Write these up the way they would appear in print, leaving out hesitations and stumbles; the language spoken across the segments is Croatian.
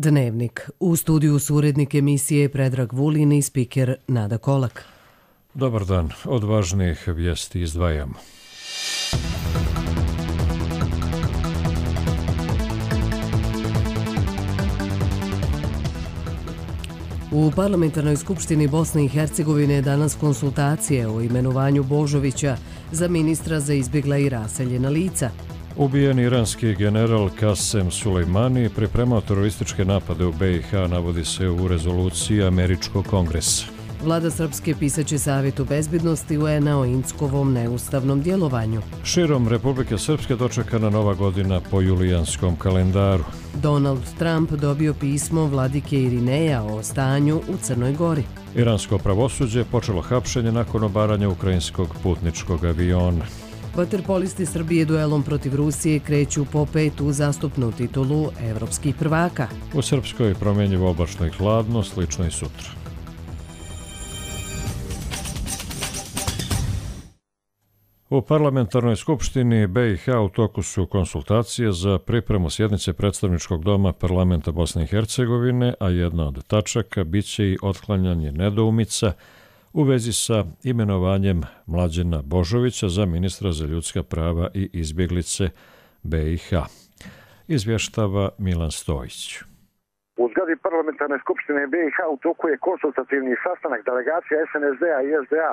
Dnevnik. U studiju su urednik emisije Predrag Vulin i spiker Nada Kolak. Dobar dan. Od važnijih vijesti izdvajamo. U Parlamentarnoj skupštini Bosne i Hercegovine danas konsultacije o imenovanju Božovića za ministra za izbjegla i raseljena lica. Ubijen iranski general Kasem Sulejmani pripremao terorističke napade u BiH, navodi se u rezoluciji Američkog kongresa. Vlada Srpske pisaće Savjetu bezbjednosti UN-a o Inckovom neustavnom djelovanju. Širom Republike Srpske dočekana nova godina po julijanskom kalendaru. Donald Trump dobio pismo vladike Irineja o stanju u Crnoj Gori. Iransko pravosuđe počelo hapšenje nakon obaranja ukrajinskog putničkog aviona. Vaterpolisti Srbije duelom protiv Rusije kreću po 5. uzastopnu titulu evropskih prvaka. U Srpskoj promjenjivo oblačno i hladno, slično i sutra. U Parlamentarnoj skupštini BiH u toku su konsultacije za pripremu sjednice predstavničkog doma Parlamenta Bosne i Hercegovine, a jedna od tačaka biće i otklanjanje nedoumica u vezi sa imenovanjem Mlađena Božovića za ministra za ljudska prava i izbjeglice BiH. Izvještava Milan Stojić. U zgradi Parlamentarne skupštine BiH u toku je konsultativni sastanak delegacija SNSD-a i SDA,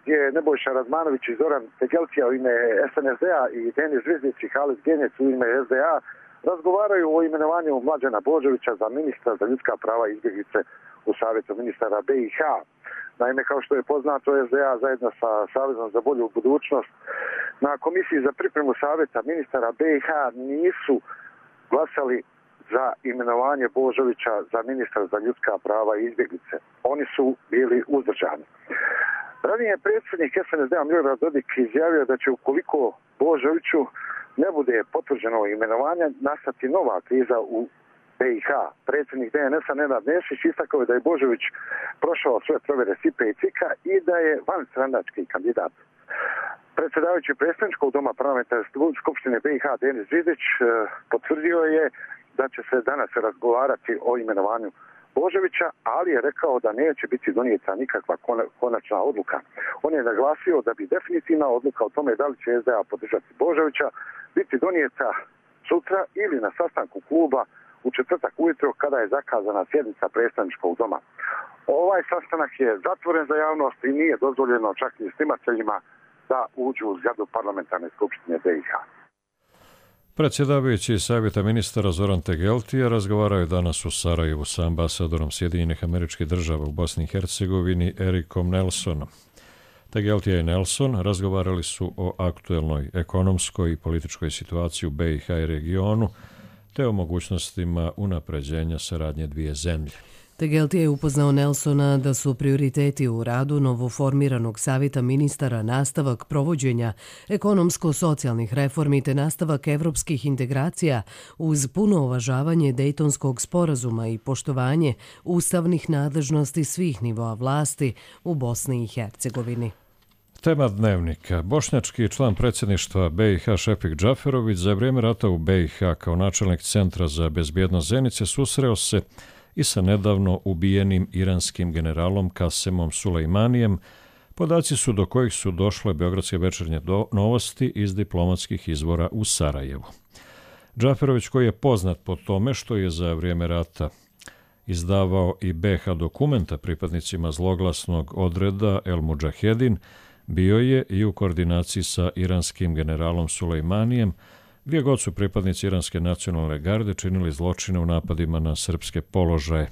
gdje je Nebojša Radmanović i Zoran Tegeltija u ime SNSD-a i Denis Zvizdić i Halid Genjec u ime SDA razgovaraju o imenovanju Mlađena Božovića za ministra za ljudska prava i izbjeglice u Savjetu ministara BiH. Naime, kao što je poznato, SDA zajedno sa Savezom za bolju budućnost na komisiji za pripremu Savjeta ministara BiH nisu glasali za imenovanje Božovića za ministra za ljudska prava i izbjeglice. Oni su bili uzdržani. Ranije je predsjednik SNSD-a Milorad Dodik izjavio da će ukoliko Božoviću ne bude potvrđeno imenovanje nastati nova kriza u BiH. Predsjednik DNS-a Nenad Nešić istakao je da je Božović prošao sve provjere SIPA i CIK-a i da je vanstranački kandidat. Predsjedavajući predstavničkog doma Parlamentarne skupštine BiH Denis Zvizdić potvrdio je da će se danas razgovarati o imenovanju Božovića, ali je rekao da neće biti donijeta nikakva konačna odluka. On je naglasio da bi definitivna odluka o tome da li će SDA podržati Božovića biti donijeta sutra ili na sastanku kluba u četvrtak ujutro kada je zakazana sjednica predstavničkog doma. Ovaj sastanak je zatvoren za javnost i nije dozvoljeno čak i snimateljima da uđu u zgradu Parlamentarne skupštine BiH. Predsjedavajući Savjeta ministara Zoran Tegeltija razgovarao je danas u Sarajevu sa ambasadorom Sjedinjenih Američkih Država u Bosni i Hercegovini Erikom Nelsonom. Tegeltija i Nelson razgovarali su o aktuelnoj ekonomskoj i političkoj situaciji u BiH i regionu, te o mogućnostima unapređenja saradnje dvije zemlje. Tegeltija je upoznao Nelsona da su prioriteti u radu novoformiranog savjeta ministara nastavak provođenja ekonomsko-socijalnih reformi te nastavak evropskih integracija uz puno uvažavanje Dejtonskog sporazuma i poštovanje ustavnih nadležnosti svih nivoa vlasti u Bosni i Hercegovini. Tema dnevnika. Bošnjački član predsjedništva BiH Šefik Džaferović za vrijeme rata u BiH kao načelnik Centra za bezbjednost Zenice susreo se i sa nedavno ubijenim iranskim generalom Kasemom Sulejmanijem, podaci su do kojih su došle beogradske večernje novosti iz diplomatskih izvora u Sarajevu. Džaferović, koji je poznat po tome što je za vrijeme rata izdavao i BiH dokumenta pripadnicima zloglasnog odreda El Mudžahedin, bio je i u koordinaciji sa iranskim generalom Sulejmanijem, gdje god su pripadnici Iranske nacionalne garde činili zločine u napadima na srpske položaje,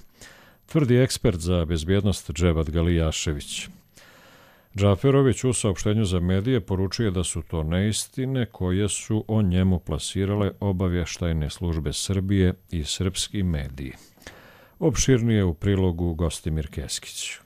tvrdi ekspert za bezbjednost Dževad Galijašević. Džaferović u saopštenju za medije poručuje da su to neistine koje su o njemu plasirale obavještajne službe Srbije i srpski mediji. Opširnije u prilogu Gostimir Keskić.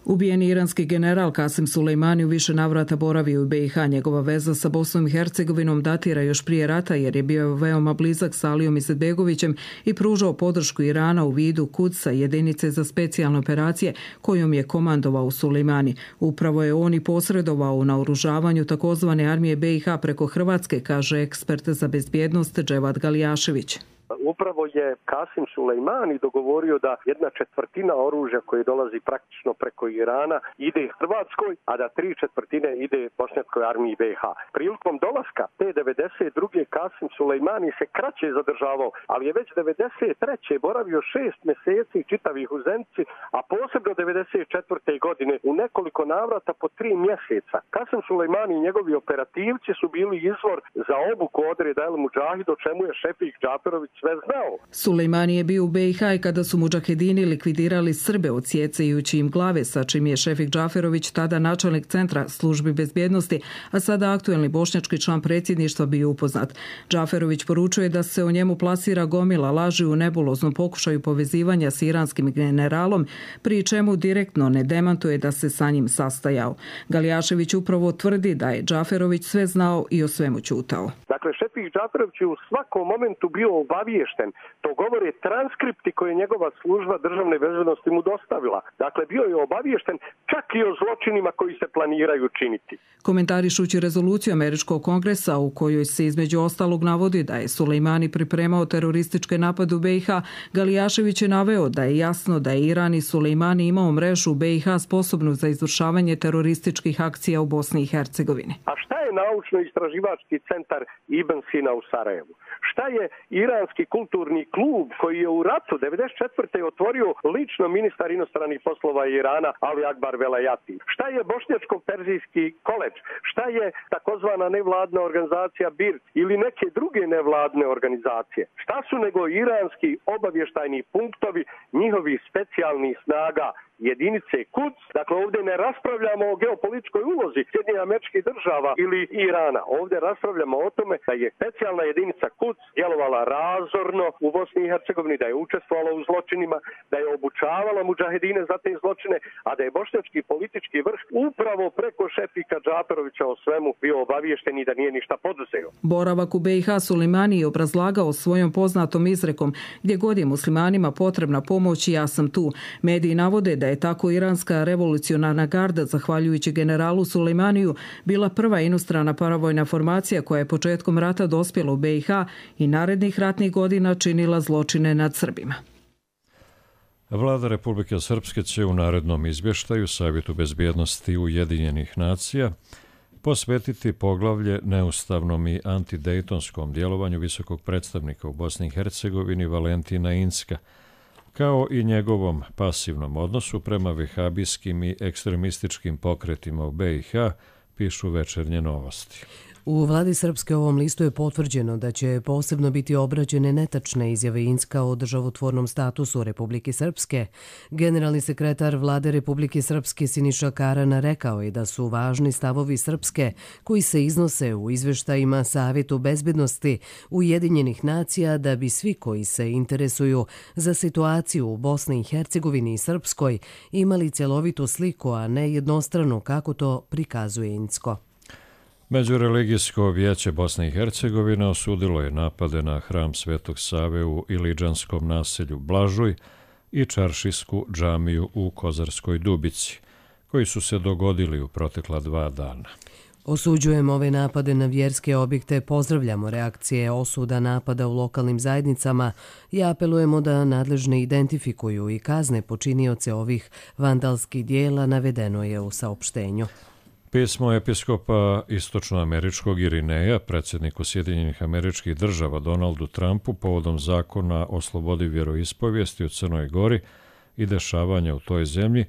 Ubijeni iranski general Kasem Sulejmani u više navrata boravio u BiH. Njegova veza sa Bosnom i Hercegovinom datira još prije rata jer je bio veoma blizak sa Alijom Izetbegovićem i pružao podršku Irana u vidu Kudsa, jedinice za specijalne operacije kojom je komandovao Sulejmani. Upravo je on i posredovao u naoružavanju takozvane armije BiH preko Hrvatske, kaže ekspert za bezbjednost Dževad Galijašević. upravo je Kasim Sulejmani dogovorio da 1/4 oružja koje dolazi praktično preko Irana ide Hrvatskoj, a da 3/4 ide bošnjačkoj armiji BiH. Prilikom dolaska te 92. Kasim Sulejmani se kraće zadržavao, ali je već 93. boravio 6 mjeseci čitavih u Zenici, a posebno 94. godine u nekoliko navrata po 3 mjeseca. Kasim Sulejmani i njegovi operativci su bili izvor za obuku odreda El Mudžahid, o čemu je Šefik Džaferović sve znao. Sulejmani je bio u BiH i kada su mudžahedini likvidirali Srbe odsjecajući im glave, sa čim je Šefik Džaferović, tada načelnik centra službi bezbjednosti, a sada aktuelni bošnjački član predsjedništva, bio upoznat. Džaferović poručuje da se o njemu plasira gomila laži u nebuloznom pokušaju povezivanja s iranskim generalom, pri čemu direktno ne demantuje da se sa njim sastajao. Galijašević upravo tvrdi da je Džaferović sve znao i o svemu ćutao. Dakle, Šefik Džaferović je u svakom momentu bio obaviješten. To govore transkripti koje je njegova služba državne bezbednosti mu dostavila. Dakle, bio je obaviješten čak i o zločinima koji se planiraju činiti. Komentarišući rezoluciju Američkog kongresa u kojoj se između ostalog navodi da je Sulejmani pripremao terorističke napade u BiH, Galijašević je naveo da je jasno da je Iran i Sulejmani imao mrežu u BiH sposobnu za izvršavanje terorističkih akcija u Bosni i Hercegovini. A šta je naučno-istraživački centar Ibn Sina u Sarajevu? Šta je iranski kulturni klub koji je u ratu 94. otvorio lično ministar inostranih poslova Irana Ali Akbar Velayati? Šta je bošnjačko-perzijski koledž? Šta je takozvana nevladna organizacija BIRT ili neke druge nevladne organizacije? Šta su nego iranski obavještajni punktovi njihovih specijalnih snaga jedinice Quds? Dakle, ovdje ne raspravljamo o geopolitičkoj ulozi Sjedinjenih Američkih Država ili Irana. Ovdje raspravljamo o tome da je specijalna jedinica Quds djelovala razorno u Bosni i Hercegovini, da je učestvovala u zločinima, da je obučavala mudžahedine za te zločine, a da je bošnjački politički vrh upravo preko Šefika Džaferovića o svemu bio obaviješten i da nije ništa poduzeo. Boravak u BiH Sulejmani je obrazlagao svojom poznatom izrekom: gdje god je muslimanima potrebna pomoć, ja sam tu. Mediji navode da je tako iranska revolucionarna garda, zahvaljujući generalu Sulejmaniju, bila prva inostrana paravojna formacija koja je početkom rata dospjela u BiH i narednih ratnih godina činila zločine nad Srbima. Vlada Republike Srpske će u narednom izvještaju Savjetu bezbjednosti Ujedinjenih nacija posvetiti poglavlje neustavnom i antidejtonskom djelovanju visokog predstavnika u Bosni i Hercegovini Valentina Incka, kao i njegovom pasivnom odnosu prema vehabijskim i ekstremističkim pokretima u BiH, pišu Večernje novosti. U vladi Srpske ovom listu je potvrđeno da će posebno biti obrađene netačne izjave Incka o državotvornom statusu Republike Srpske. Generalni sekretar vlade Republike Srpske Siniša Karana rekao je da su važni stavovi Srpske koji se iznose u izveštajima Savjetu bezbednosti Ujedinjenih nacija da bi svi koji se interesuju za situaciju u Bosni i Hercegovini i Srpskoj imali cjelovitu sliku, a ne jednostranu kako to prikazuje Incko. Međureligijsko vijeće Bosne i Hercegovine osudilo je napade na hram Svetog Save u Ilidžanskom naselju Blažuj i Čaršijsku džamiju u Kozarskoj Dubici, koji su se dogodili u protekla 2 dana. Osuđujemo ove napade na vjerske objekte, pozdravljamo reakcije osuda napada u lokalnim zajednicama i apelujemo da nadležne identifikuju i kazne počinioce ovih vandalskih dijela, navedeno je u saopštenju. Pismo episkopa istočnoameričkog Irineja predsjedniku Sjedinjenih Američkih Država Donaldu Trumpu povodom zakona o slobodi vjeroispovijesti u Crnoj Gori i dešavanja u toj zemlji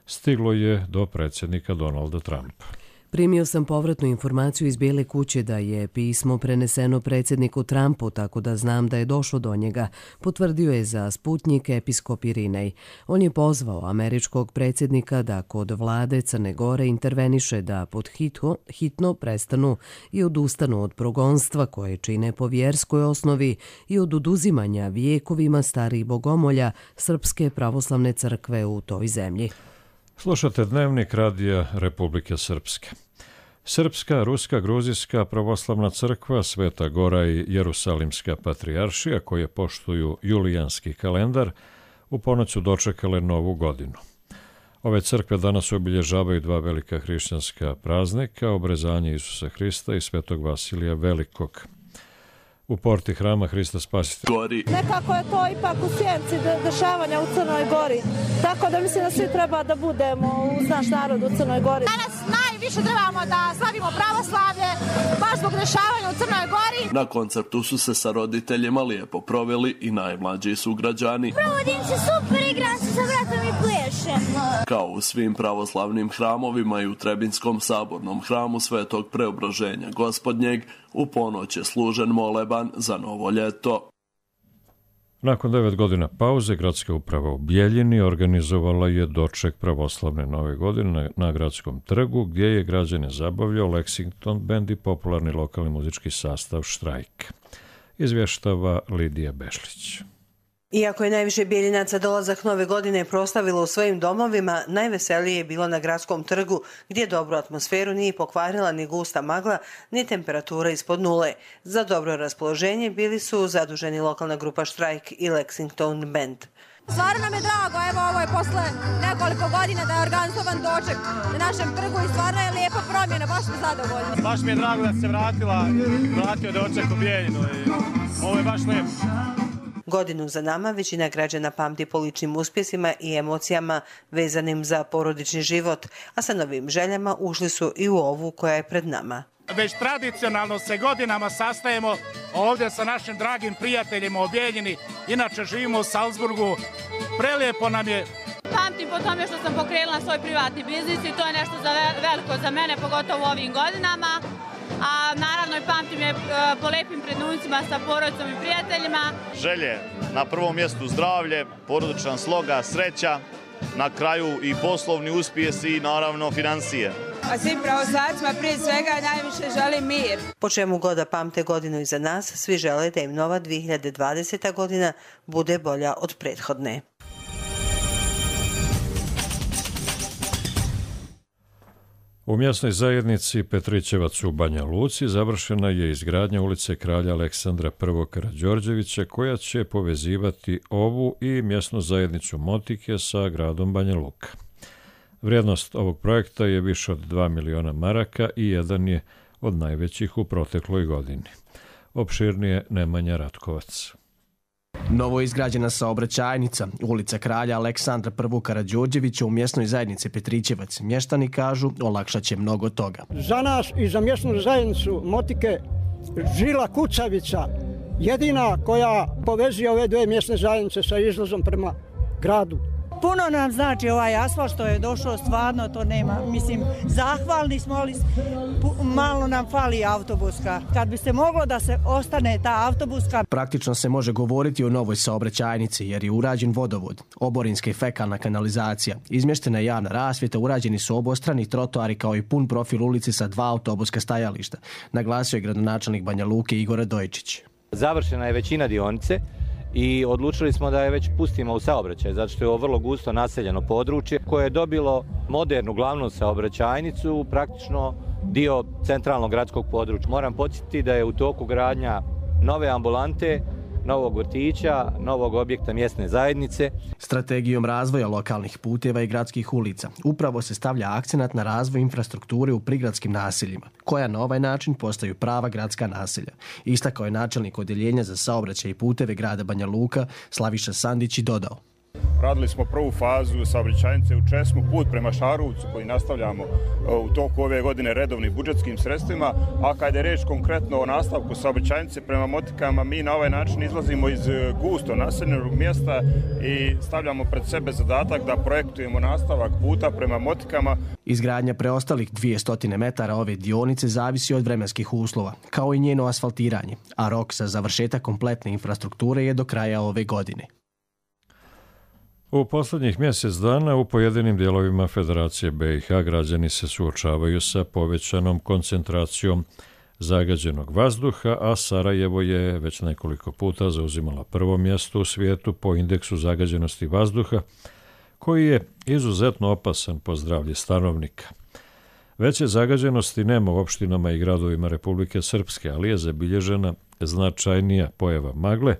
stiglo je do predsjednika Donalda Trumpa. Primio sam povratnu informaciju iz Bijele kuće da je pismo preneseno predsjedniku Trumpu, tako da znam da je došlo do njega, potvrdio je za Sputnjik episkop Irinej. On je pozvao američkog predsjednika da kod vlade Crne Gore interveniše da pod hitno prestanu i odustanu od progonstva koje čine po vjerskoj osnovi i od oduzimanja vijekovima starih bogomolja Srpske pravoslavne crkve u toj zemlji. Slušate Dnevnik Radija Republike Srpske. Srpska, Ruska, Gruzijska pravoslavna crkva, Sveta Gora i Jerusalimska patrijaršija, koje poštuju julijanski kalendar, u ponoć su dočekale Novu godinu. Ove crkve danas obilježavaju 2 velika hrišćanska praznika, obrezanje Isusa Hrista i Svetog Vasilija Velikog. u porti hrama Hrista Spasitelja. Nekako je to ipak u sjenci dešavanja u Crnoj Gori, tako da mislim da svi treba da budemo uz naš narod u Crnoj Gori. Danas najviše trebamo da slavimo pravoslavlje, baš zbog dešavanja u Crnoj Gori. Na koncertu su se sa roditeljima lijepo proveli i najmlađi sugrađani. Provodim se super, igram se sa bratom i plešem. Kao u svim pravoslavnim hramovima i u Trebinskom sabornom hramu Svetog Preobraženja Gospodnjeg, u ponoć je služen moleban za novo ljeto. Nakon 9 godina pauze, gradska uprava u Bijeljini organizovala je doček pravoslavne nove godine na gradskom trgu, gdje je građane zabavljao Lexington band i popularni lokalni muzički sastav Štrajk. Izvještava Lidija Bešlić. Iako je najviše Bijeljinaca dolazak nove godine proslavilo u svojim domovima, najveselije je bilo na gradskom trgu, gdje dobru atmosferu nije pokvarila ni gusta magla, ni temperatura ispod nule. Za dobro raspoloženje bili su zaduženi lokalna grupa Štrajk i Lexington band. Stvarno nam je drago, evo ovo je posle nekoliko godina da je organizovan doček na našem trgu i stvarno je lijepa promjena, baš smo zadovoljni. Baš mi je drago da se vratio doček u Bijeljinu i ovo je baš lijepo. Godinu za nama većina građana pamti po ličnim uspjesima i emocijama vezanim za porodični život, a sa novim željama ušli su i u ovu koja je pred nama. Već tradicionalno se godinama sastajemo ovdje sa našim dragim prijateljima u Bijeljini, inače živimo u Salzburgu, prelijepo nam je. Pamtim po tome što sam pokrenula svoj privatni biznis i to je nešto veliko za mene, pogotovo u ovim godinama. A naravno i pamtim je po lepim trenucima sa porodicom i prijateljima. Želje na prvom mjestu zdravlje, porodičan sloga, sreća, na kraju i poslovni uspjesi i naravno financije. A svim pravoslavcima prije svega najviše želim mir. Po čemu god da pamte godinu iza nas, svi žele da im nova 2020. godina bude bolja od prethodne. U mjesnoj zajednici Petrićevac u Banja Luci završena je izgradnja ulice Kralja Aleksandra I. Karađorđevića, koja će povezivati ovu i mjesnu zajednicu Motike sa gradom Banja Luka. Vrijednost ovog projekta je više od 2 miliona maraka i jedan je od najvećih u protekloj godini. Opširnije Nemanja Ratkovac. Novo izgrađena saobraćajnica, ulica Kralja Aleksandra I. Karađorđevića u mjesnoj zajednici Petrićevac, mještani kažu, olakšat će mnogo toga. Za nas i za mjesnu zajednicu Motike žila kucavica, jedina koja povezuje ove dve mjesne zajednice sa izlazom prema gradu. Puno nam znači ovaj asfalt što je došao, stvarno to nema. Mislim, zahvalni smo, ali malo nam fali autobuska. Kad bi se moglo da se ostane ta autobuska. Praktično se može govoriti o novoj saobraćajnici jer je urađen vodovod, oborinska i fekalna kanalizacija, izmještena je javna rasvjeta, urađeni su obostrani trotoari kao i pun profil ulici sa 2 autobuska stajališta, naglasio je gradonačelnik Banja Luke Igor Radojičić. Završena je većina dionice i odlučili smo da je već pustimo u saobraćaj, zato što je ovo vrlo gusto naseljeno područje koje je dobilo modernu glavnu saobraćajnicu, praktično dio centralnog gradskog područja. Moram podsjetiti da je u toku gradnja nove ambulante, novog vrtića, novog objekta mjesne zajednice. Strategijom razvoja lokalnih puteva i gradskih ulica upravo se stavlja akcenat na razvoj infrastrukture u prigradskim naseljima, koja na ovaj način postaju prava gradska naselja. Istakao je načelnik odjeljenja za saobraćaj i puteve grada Banja Luka Slaviša Sandić i dodao. Radili smo prvu fazu saobraćajnice u Česmu, put prema Šarovcu koji nastavljamo u toku ove godine redovnim budžetskim sredstvima, a kad je reč konkretno o nastavku saobraćajnice prema Motikama, mi na ovaj način izlazimo iz gusto naseljenog mjesta i stavljamo pred sebe zadatak da projektujemo nastavak puta prema Motikama. Izgradnja preostalih 200 metara ove dionice zavisi od vremenskih uslova, kao i njeno asfaltiranje, a rok za završetak kompletne infrastrukture je do kraja ove godine. U posljednjih mjesec dana u pojedinim dijelovima Federacije BiH građani se suočavaju sa povećanom koncentracijom zagađenog vazduha, a Sarajevo je već nekoliko puta zauzimalo prvo mjesto u svijetu po indeksu zagađenosti vazduha, koji je izuzetno opasan po zdravlje stanovnika. Veće zagađenosti nema u opštinama i gradovima Republike Srpske, ali je zabilježena značajnija pojava magle,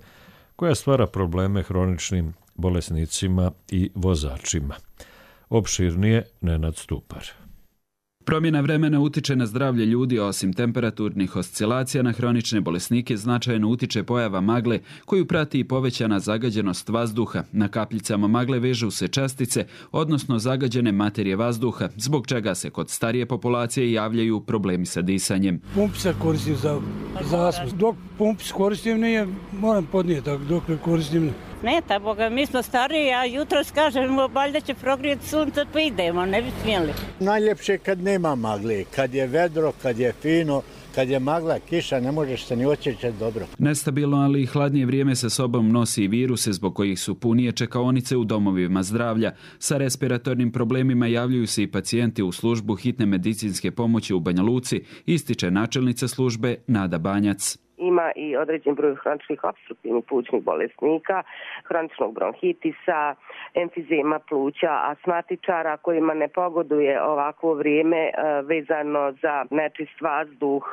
koja stvara probleme hroničnim bolesnicima i vozačima. Opširnije Nenad Stupar. Promjena vremena utiče na zdravlje ljudi, osim temperaturnih oscilacija na hronične bolesnike značajno utiče pojava magle koju prati i povećana zagađenost vazduha. Na kapljicama magle vežu se čestice, odnosno zagađene materije vazduha, zbog čega se kod starije populacije javljaju problemi sa disanjem. Pump se koristim za asmu. Dok pump koristim nije, moram podnijeti, dok ne koristim ne. Smeta, Boga, mi smo stariji, a jutros kažemo, valjda će progrijeti sunce, pa idemo, ne bi smjeli. Najljepše kad nema magle, kad je vedro, kad je fino, kad je magla, kiša, ne možeš se ni osjećati dobro. Nestabilno, ali i hladnije vrijeme sa sobom nosi i viruse zbog kojih su punije čekaonice u domovima zdravlja. Sa respiratornim problemima javljaju se i pacijenti u službu hitne medicinske pomoći u Banja Luci, ističe načelnica službe Nada Banjac. Ima i određen broj hroničnih opstruktivnih plućnih bolesnika, hroničnog bronhitisa, emfizema pluća, astmatičara kojima ne pogoduje ovakvo vrijeme vezano za nečist vazduh,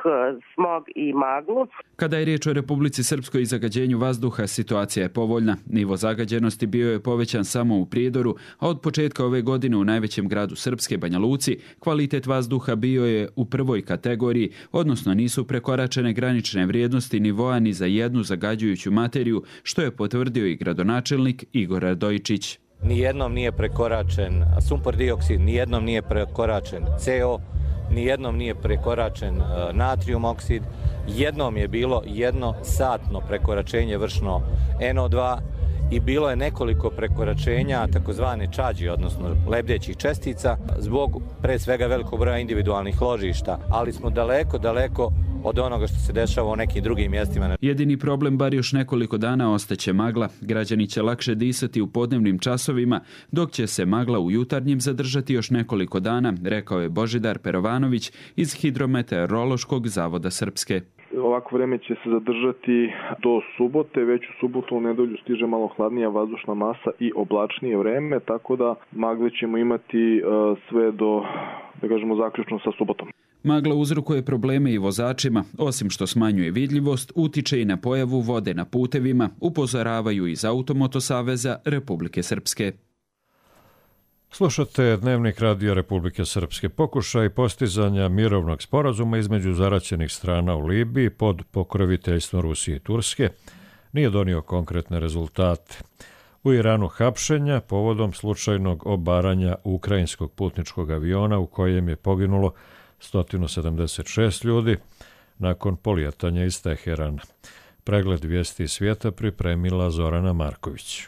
smog i maglu. Kada je riječ o Republici Srpskoj i zagađenju vazduha, situacija je povoljna. Nivo zagađenosti bio je povećan samo u Prijedoru, a od početka ove godine u najvećem gradu Srpske, Banja Luci, kvalitet vazduha bio je u prvoj kategoriji, odnosno nisu prekoračene granične vrijednosti nivoa ni za jednu zagađujuću materiju, što je potvrdio i gradonačelnik Igor Radojičić. Nijednom nije prekoračen sumpor dioksid, nijednom nije prekoračen CO, nijednom nije prekoračen natrium oksid, jednom je bilo jednosatno prekoračenje vršno NO2 i bilo je nekoliko prekoračenja takozvane čađi, odnosno lebdećih čestica, zbog pre svega velikog broja individualnih ložišta, ali smo daleko od onoga što se dešava u nekim drugim mjestima. Jedini problem, bar još nekoliko dana, ostaće magla. Građani će lakše disati u podnevnim časovima, dok će se magla u jutarnjim zadržati još nekoliko dana, rekao je Božidar Perovanović iz Hidrometeorološkog zavoda Srpske. Ovako vreme će se zadržati do subote, već u subotu u nedelju stiže malo hladnija vazdušna masa i oblačnije vreme, tako da magle ćemo imati sve do, da kažemo, zaključno sa subotom. Magla uzrokuje probleme i vozačima, osim što smanjuje vidljivost, utiče i na pojavu vode na putevima, upozoravaju iz Automoto saveza Republike Srpske. Slušate Dnevnik Radija Republike Srpske. Pokušaj postizanja mirovnog sporazuma između zaraćenih strana u Libiji pod pokroviteljstvom Rusije i Turske nije donio konkretne rezultate. U Iranu hapšenja povodom slučajnog obaranja ukrajinskog putničkog aviona u kojem je poginulo 176 ljudi nakon polijetanja iz Teherana. Pregled vijesti svijeta pripremila Zorana Marković.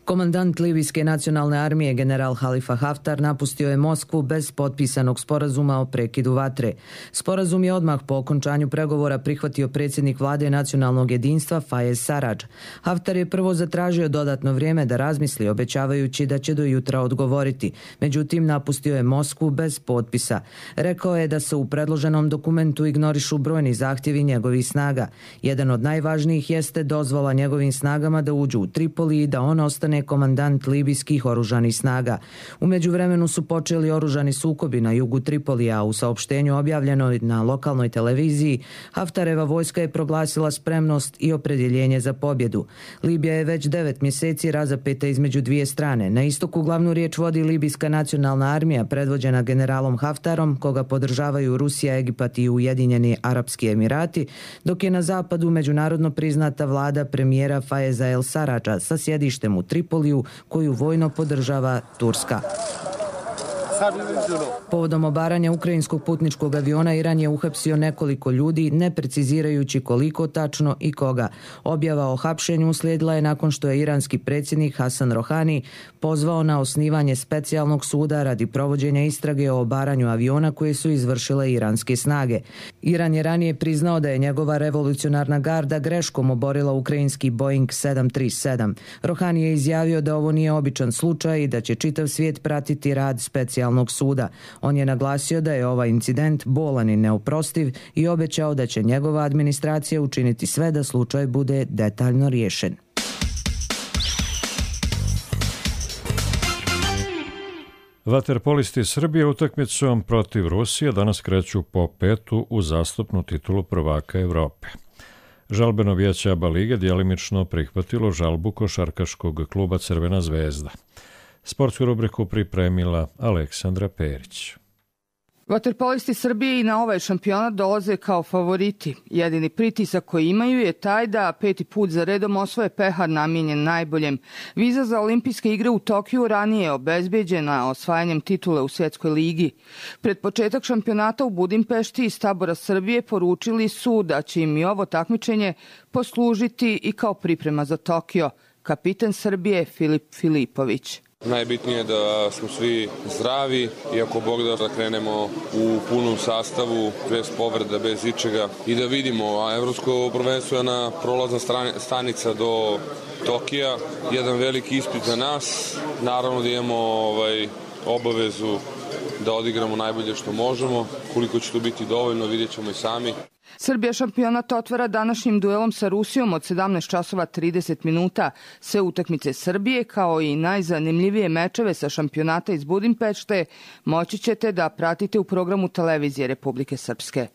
Komandant Libijske nacionalne armije general Halifa Haftar napustio je Moskvu bez potpisanog sporazuma o prekidu vatre. Sporazum je odmah po okončanju pregovora prihvatio predsjednik vlade nacionalnog jedinstva Fayez Sarraj. Haftar je prvo zatražio dodatno vrijeme da razmisli, obećavajući da će do jutra odgovoriti. Međutim, napustio je Moskvu bez potpisa. Rekao je da se u predloženom dokumentu ignorišu brojni zahtjevi njegovih snaga. Jedan od najvažnijih jeste dozvola njegovim snagama da uđu u Tripoli i da on ostane komandant libijskih oružanih snaga. U međuvremenu su počeli oružani sukobi na jugu Tripolija. U saopštenju objavljeno na lokalnoj televiziji, Haftareva vojska je proglasila spremnost i opredjeljenje za pobjedu. Libija je već 9 mjeseci razapeta između dvije strane. Na istoku glavnu riječ vodi Libijska nacionalna armija predvođena generalom Haftarom, koga podržavaju Rusija, Egipat i Ujedinjeni Arapski Emirati, dok je na zapadu međunarodno priznata vlada premijera Fayeza El Sarraja sa sjedištem u Tripoliju, koju vojno podržava Turska. Povodom obaranja ukrajinskog putničkog aviona Iran je uhapsio nekoliko ljudi, ne precizirajući koliko tačno i koga. Objava o hapšenju uslijedila je nakon što je iranski predsjednik Hasan Rohani pozvao na osnivanje specijalnog suda radi provođenja istrage o obaranju aviona koje su izvršile iranske snage. Iran je ranije priznao da je njegova revolucionarna garda greškom oborila ukrajinski Boeing 737. Rohani je izjavio da ovo nije običan slučaj i da će čitav svijet pratiti rad specijalnog suda. On je naglasio da je ovaj incident bolan i neoprostiv i obećao da će njegova administracija učiniti sve da slučaj bude detaljno riješen. Vaterpolisti Srbije utakmicom protiv Rusije danas kreću po petu u zastupnu titulu prvaka Evrope. Žalbeno vijeće ABA lige djelimično prihvatilo žalbu košarkaškog kluba Crvena zvezda. Sportsku rubriku pripremila Aleksandra Perić. Vaterpolisti Srbije i na ovaj šampionat dolaze kao favoriti. Jedini pritisak koji imaju je taj da 5. put za redom osvoje pehar namijenjen najboljem. Viza za olimpijske igre u Tokiju ranije je obezbeđena osvajanjem titule u Svjetskoj ligi. Pred početak šampionata u Budimpešti iz tabora Srbije poručili su da će im i ovo takmičenje poslužiti i kao priprema za Tokio. Kapitan Srbije Filip Filipović. Najbitnije je da smo svi zdravi i ako Bog da krenemo u punom sastavu, bez povreda, bez ičega i da vidimo, a evropsko prvenstvo je na prolazna stanica do Tokija, jedan veliki ispit za nas, naravno da imamo obavezu da odigramo najbolje što možemo, koliko će to biti dovoljno vidjet ćemo i sami. Srbija šampionat otvara današnjim duelom sa Rusijom od 17 časova 30 minuta. Sve utakmice Srbije kao i najzanimljivije mečeve sa šampionata iz Budimpešte moći ćete da pratite u programu televizije Republike Srpske.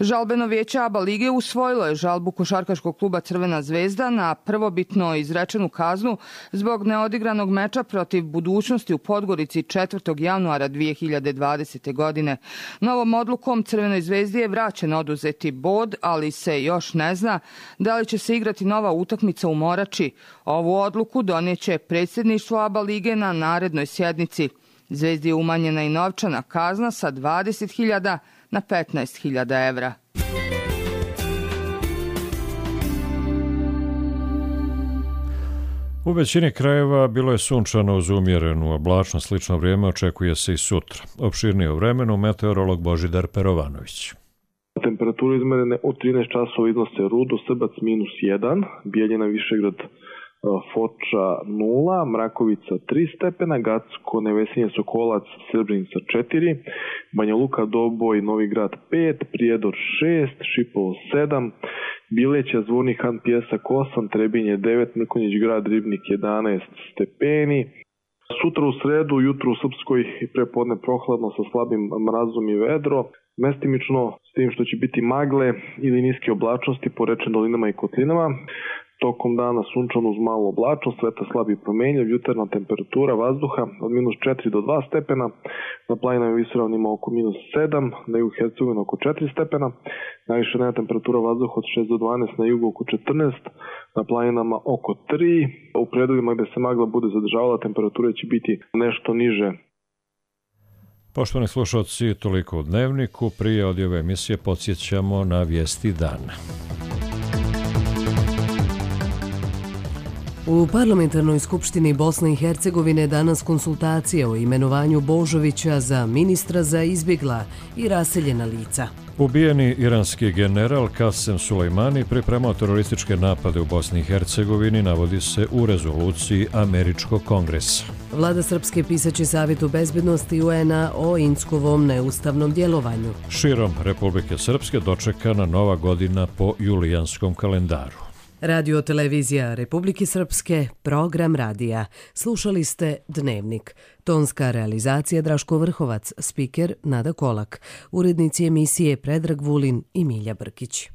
Žalbeno vijeće ABA lige usvojilo je žalbu košarkaškog kluba Crvena zvezda na prvobitno izrečenu kaznu zbog neodigranog meča protiv Budućnosti u Podgorici 4. januara 2020. godine. Novom odlukom Crvenoj zvezdi je vraćen oduzeti bod, ali se još ne zna da li će se igrati nova utakmica u Morači. Ovu odluku donijeće predsjedništvo ABA lige na narednoj sjednici. Zvezdi je umanjena i novčana kazna sa 20.000 na 15.000 evra. U većini krajeva bilo je sunčano uz umjerenu oblačnost, slično vrijeme očekuje se i sutra. Opširnije o vremenu meteorolog Božidar Perovanović. Temperature izmerene od 13 časova iznose Rudo, Srbac -1, Bijeljina, Višegrad, Foča 0, Mrakovica 3 stepena, Gacko, Nevesinje, Sokolac, Srebrenica 4, Banja Luka, Doboj, Novi Grad 5, Prijedor 6, Šipovo 7, Bileća, Zvornik Han, Pjesak 8, Trebinje 9, Mrkonjić Grad, Ribnik 11 stepeni. Sutra u sredu, jutro u Srpskoj i prepodne prohladno sa slabim mrazom i vedro, mestimično s tim što će biti magle ili niske oblačnosti po rečnim dolinama i kotlinama. Tokom dana sunčano uz malu oblačnost, vetar slab i promenljiv, jutarnja temperatura vazduha od -4 do 2 stepena, na planinama i visoravnima oko -7, na jugu Hercegovine oko 4 stepena, najviša dnevna temperatura vazduha od 6 do 12, na jugu oko 14, na planinama oko 3, u predelima gde se magla bude zadržavala temperatura će biti nešto niže. Poštovani slušalci, toliko u Dnevniku. Prije ove emisije podsjećamo na vijesti dana. U Parlamentarnoj skupštini Bosne i Hercegovine danas konsultacije o imenovanju Božovića za ministra za izbjegla i raseljena lica. Ubijeni iranski general Kasem Sulejmani pripremao terorističke napade u Bosni i Hercegovini, navodi se u rezoluciji Američkog kongresa. Vlada Srpske pisaće Savjetu bezbednosti UN-a o Inckovom neustavnom djelovanju. Širom Republike Srpske dočekana nova godina po julijanskom kalendaru. Radio televizija Republike Srpske, program radija. Slušali ste Dnevnik. Tonska realizacija Draško Vrhovac, spiker Nada Kolak. Urednici emisije Predrag Vulin i Milja Brkić.